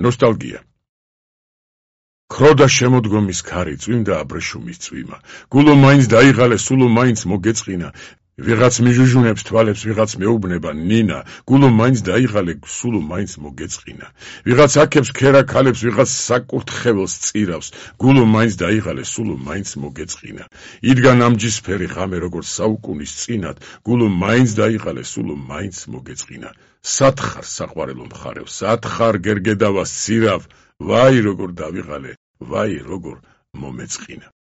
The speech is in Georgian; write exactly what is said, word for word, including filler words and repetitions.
ნოსტალგია. ქროდა შემოდგომის ქარი, წვიმდა აბრეშუმის წვიმა. გულო მაინც დაიღალე, სულო მაინც მოგეწყინა. ვიღაც მიჟუჟუნებს თვალებს, ვიღაც მეუბნება ნინა. გულო მაინც დაიღალე, სულო მაინც მოგეწყინა. ვიღაც აქებს ქერა ქალებს, ვიღაც საკურთხეველს წირავს. გულო მაინც დაიღალე, სულო მაინც მოგეწყინა. იდგა ნამჯისფერი ღამე, როგორც საუკუნის წინათ. გულო მაინც დაიღალე, სულო მაინც მოგეწყინა. სათხარ საყვარელო მხარეო, სათხარ გერგედავას ცირავ, ვაი როგორ დავიღალე, ვაი როგორ მომეწყინა.